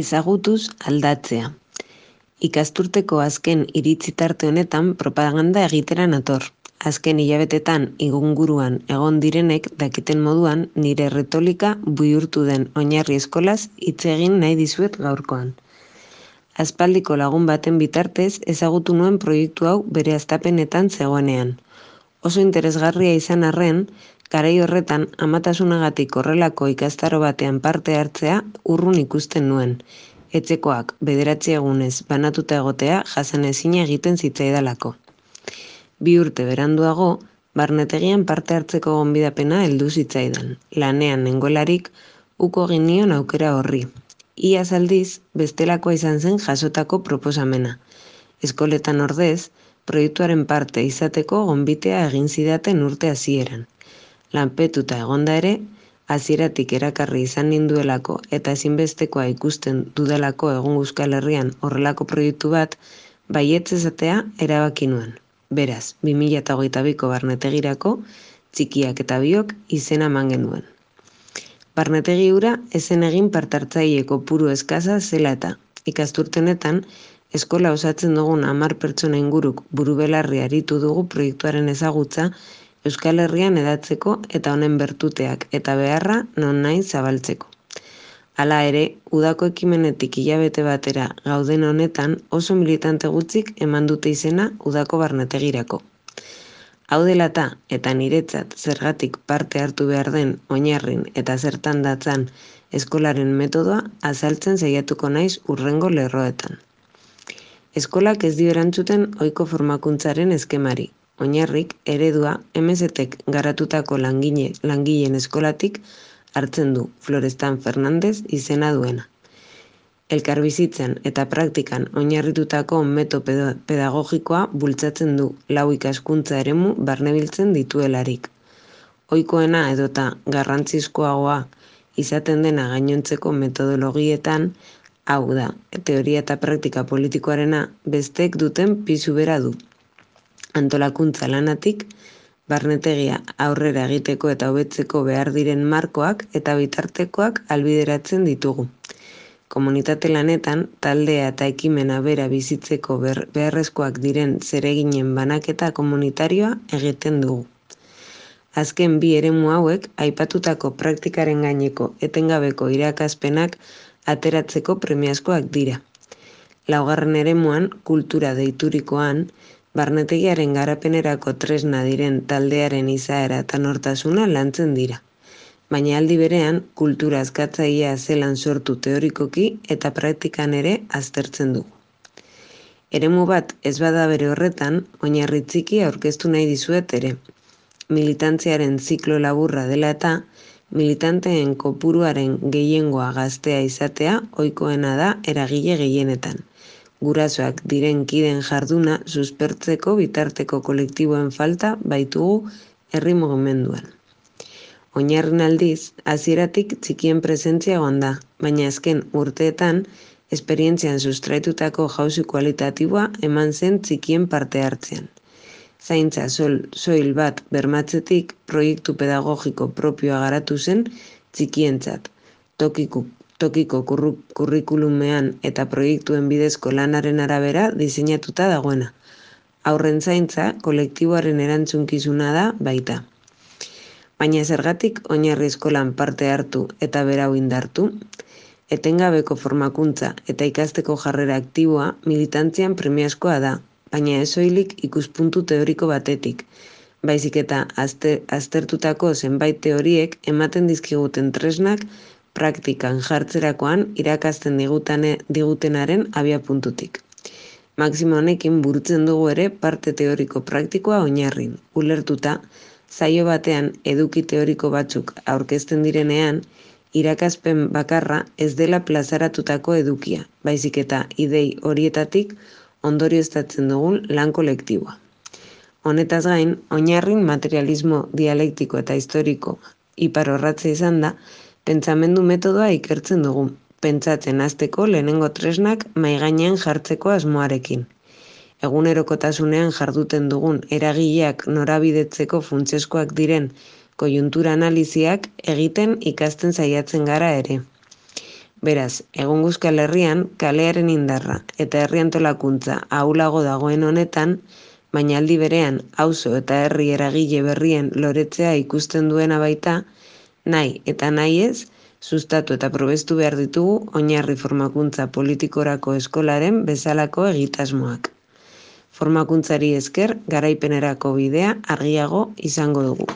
Ezagutuz aldatzea. Ikasturteko azken iritzi tarte honetan propaganda egitera nator. Azken hilabetetan inguruan egon direnek dakiten moduan nire retolika bihurtu den oinarri eskolaz hitz egin nahi dizuet gaurkoan. Aspaldiko lagun baten bitartez ezagutu nuen proiektu hau bere hastapenetan zegoenean. Oso interesgarria izan arren, garai horretan amatasunagatik horrelako ikastaro batean parte hartzea urrun ikusten nuen. Etxekoak 9 egunez banatuta egotea jasanezina egiten zitzaidalako. 2 urte beranduago, barnetegian parte hartzeko gonbidapena heldu zitzaidan. Lanean nengoelarik, uko egin nion aukera horri. Iaz aldiz, bestelakoa izan zen jasotako proposamena. Eskoletan ordez, proiektuaren parte izateko gonbitea egin zidaten urte hasieran. Lanpetuta egonda ere, hasieratik erakarri izan ninduelako eta ezinbestekoa ikusten dudalako egun Euskal Herrian horrelako proiektu bat, baietz esatea erabaki nuen. Beraz, 2022ko barnetegirako, txikiak eta biok izena eman genuen. Barnetegi hura ezen egin partartzaile kopuru eskasa zela eta, ikasturtenetan, eskola osatzen dugun 10 pertsona inguruk burubelarri aritu dugu proiektuaren ezagutza Euskal Herrian hedatzeko eta honen bertuteak eta beharra nonahi zabaltzeko. Hala ere, udako ekimenetik hilabete batera gauden honetan oso militante gutxik eman dute izena udako barnetegirako. Hau dela eta niretzat zergatik parte hartu behar den oinarrin eta zertan datzan eskolaren metodoa azaltzen saiatuko naiz hurrengo lerroetan. Eskolak ez dio erantzuten ohiko formakuntzaren eskemari. Oinarrik eredua MSTek garatutako langileen eskolatik hartzen du Florestan Fernandez izena duena. Elkarbizitzan eta praktikan oinarritutako metodo pedagogikoa bultzatzen du 4 ikaskuntza eremu barnebiltzen dituelarik. Ohikoena edota garrantzizkoagoa izaten dena gainontzeko metodologietan, hau da, teoria eta praktika politikoarena besteek duten pisu bera du. Antolakuntza lanatik, barnetegia aurrera egiteko eta hobetzeko behar diren markoak eta bitartekoak ahalbideratzen ditugu. Komunitate lanetan, taldea eta ekimena bera bizitzeko beharrezkoak diren zereginen banaketa komunitarioa egiten dugu. Azken 2 eremu hauek aipatutako praktikaren gaineko etengabeko irakaspenak ateratzeko premiazkoak dira. 4. eremuan, kultura deiturikoan, barnetegiaren garapenerako tresna diren taldearen izaera eta nortasuna lantzen dira. Baina aldi berean, kultura askatzailea zelan sortu teorikoki eta praktikan ere aztertzen dugu. Eremu bat ez bada bere horretan, oinarri txiki aurkeztu nahi dizuet ere. Militantziaren ziklo laburra dela eta, militanteen kopuruaren gehiengoa gaztea izatea ohikoena da eragile gehienetan. Gurasoak diren kideen jarduna suspertzeko bitarteko kolektiboen falta baitugu herri mugimenduan. Oinarrin aldiz, hasieratik txikien presentzia egon da, baina azken urteetan, esperientzian sustraitutako jauzi kualitatiboa eman zen txikien parte hartzean. Zaintza soil bat bermatzetik proiektu pedagogiko propioa garatu zen txikientzat, tokiko kurrikulumean eta proiektuen bidezko lanaren arabera diseinatuta dagoena. Haurren zaintza kolektiboaren erantzunkizuna da baita. Baina zergatik oinarri eskolan parte hartu eta berau indartu? Etengabeko formakuntza eta ikasteko jarrera aktiboa militantzian premiazkoa da, baina ez soilik ikuspuntu teoriko batetik, baizik eta aztertutako zenbait teoriek ematen dizkiguten tresnak praktikan jartzerakoan irakasten digutenaren abiapuntutik. Maximo honekin burutzen dugu ere parte teoriko praktikoa oinarrin, ulertuta, saio batean eduki teoriko batzuk aurkezten direnean, irakaspen bakarra ez dela plazaratutako edukia, baizik eta idei horietatik ondorioztatzen dugun lan kolektiboa. Honetaz gain, oinarrin materialismo dialektiko eta historiko iparorratza izan da, pentsamendu metodoa ikertzen dugu, pentsatzen hasteko lehenengo tresnak mahai gainean jartzeko asmoarekin. Egunerokotasunean jarduten dugun eragileak norabidetzeko funtsezkoak diren koiuntura analiziak egiten ikasten saiatzen gara ere. Beraz, egungo Euskal Herrian kalearen indarra eta herri antolakuntza ahulago dagoen honetan, baina aldi berean auzo eta herri eragile berrien loretzea ikusten duena baita, nahi eta nahi ez, sustatu eta probestu behar ditugu oinarri formakuntza politikorako eskolaren bezalako egitasmoak. Formakuntzari esker garaipenerako bidea argiago izango dugu.